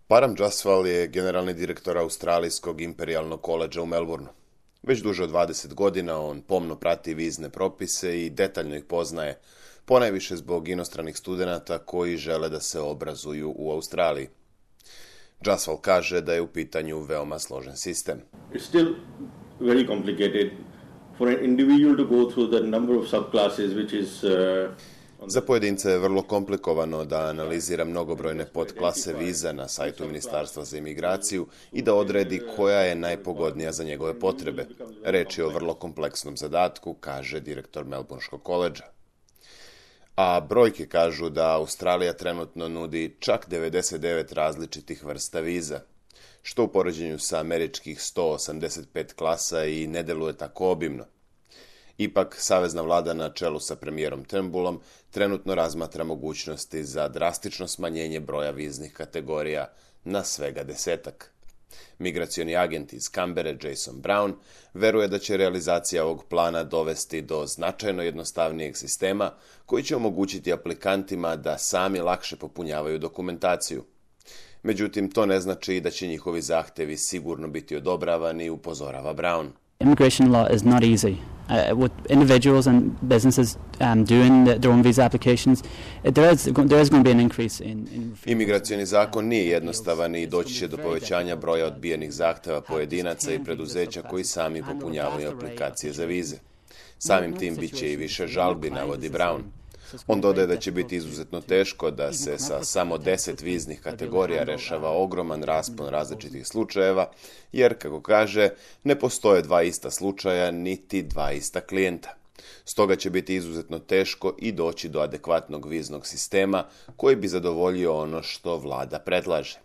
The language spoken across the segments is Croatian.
Param Jaswal je generalni direktor Australijskog imperijalnog koledža u Melbourneu. Već duže od 20 godina on pomno prati vizne propise i detaljno ih poznaje, ponajviše zbog inostranih studenata koji žele da se obrazuju u Australiji. Jaswal kaže da je u pitanju veoma složen sistem. It's still very complicated for an individual to go through the number of subclasses which is Za pojedince je vrlo komplikovano da analizira mnogobrojne podklase viza na sajtu Ministarstva za imigraciju i da odredi koja je najpogodnija za njegove potrebe. Reč je o vrlo kompleksnom zadatku, kaže direktor Melbourneškog koledža. A brojke kažu da Australija trenutno nudi čak 99 različitih vrsta viza, što u poređenju sa američkih 185 klasa i ne deluje tako obimno. Ipak, savezna vlada na čelu sa premijerom Turnbullom trenutno razmatra mogućnosti za drastično smanjenje broja viznih kategorija na svega 10. Migracioni agent iz Canberre, Jason Brown, veruje da će realizacija ovog plana dovesti do značajno jednostavnijeg sistema koji će omogućiti aplikantima da sami lakše popunjavaju dokumentaciju. Međutim, to ne znači da će njihovi zahtevi sigurno biti odobravani, upozorava Brown. Immigration law is not easy. What individuals and businesses doing their own visa applications, there is going to be an increase in... Imigracioni zakon nije jednostavan i doći će do povećanja broja odbijenih zahteva pojedinaca i preduzeća koji sami popunjavaju aplikacije za vize. Samim tim bit će i više žalbi, navodi Brown. On dodaje da će biti izuzetno teško da se sa samo 10 viznih kategorija rešava ogroman raspon različitih slučajeva, jer, kako kaže, ne postoje dva ista slučaja niti dva ista klijenta. Stoga će biti izuzetno teško i doći do adekvatnog viznog sistema koji bi zadovoljio ono što vlada predlaže.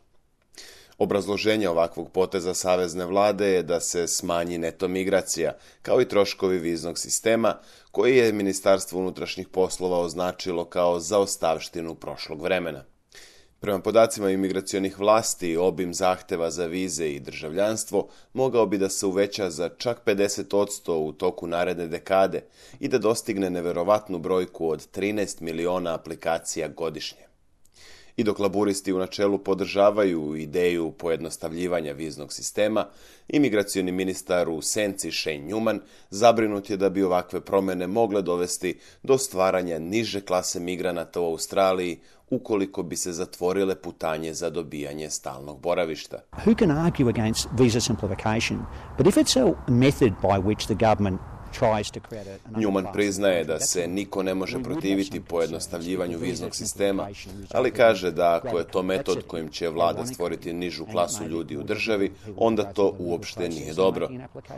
Obrazloženje ovakvog poteza savezne vlade je da se smanji neto migracija, kao i troškovi viznog sistema, koji je Ministarstvo unutrašnjih poslova označilo kao zaostavštinu prošlog vremena. Prema podacima imigracionih vlasti, obim zahteva za vize i državljanstvo mogao bi da se uveća za čak 50% u toku naredne dekade i da dostigne neverovatnu brojku od 13 miliona aplikacija godišnje. I dok laburisti u načelu podržavaju ideju pojednostavljivanja viznog sistema, imigracioni ministar u senci Shane Newman zabrinut je da bi ovakve promjene mogle dovesti do stvaranja niže klase migranata u Australiji ukoliko bi se zatvorile putanje za dobijanje stalnog boravišta. Who can argue against visa simplification? But if it's a method by which the government Newman priznaje da se niko ne može protiviti pojednostavljivanju viznog sistema, ali kaže da ako je to metod kojim će vlada stvoriti nižu klasu ljudi u državi, onda to uopšte nije dobro.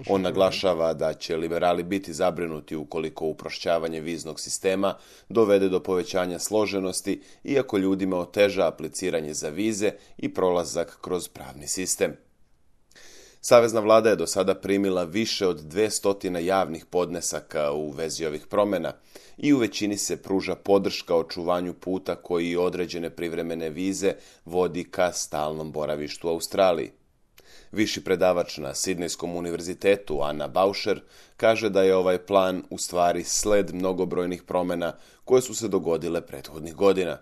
On naglašava da će liberali biti zabrinuti ukoliko uprošćavanje viznog sistema dovede do povećanja složenosti, iako ljudima oteža apliciranje za vize i prolazak kroz pravni sistem. Savezna vlada je do sada primila više od 200 javnih podnesaka u vezi ovih promjena i u većini se pruža podrška očuvanju puta koji određene privremene vize vodi ka stalnom boravištu u Australiji. Viši predavač na Sidnejskom univerzitetu Anna Bauscher kaže da je ovaj plan u stvari sled mnogobrojnih promjena koje su se dogodile prethodnih godina.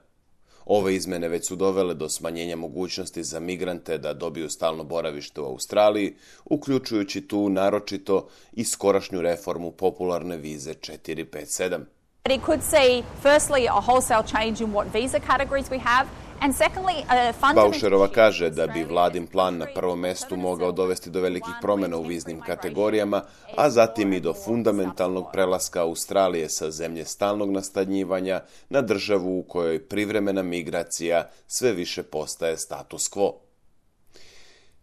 Ove izmene već su dovele do smanjenja mogućnosti za migrante da dobiju stalno boravište u Australiji, uključujući tu naročito i skorašnju reformu popularne vize 457. It could see firstly a wholesale change in what visa categories we have. Bauscherova kaže da bi vladin plan na prvom mestu mogao dovesti do velikih promjena u viznim kategorijama, a zatim i do fundamentalnog prelaska Australije sa zemlje stalnog nastanjivanja na državu u kojoj privremena migracija sve više postaje status quo.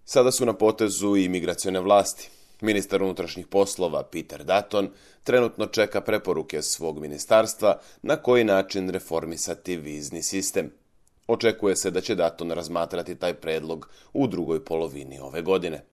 Sada su na potezu i migracione vlasti. Ministar unutrašnjih poslova Peter Dutton trenutno čeka preporuke svog ministarstva na koji način reformisati vizni sistem. Očekuje se da će Dutton razmatrati taj predlog u drugoj polovini ove godine.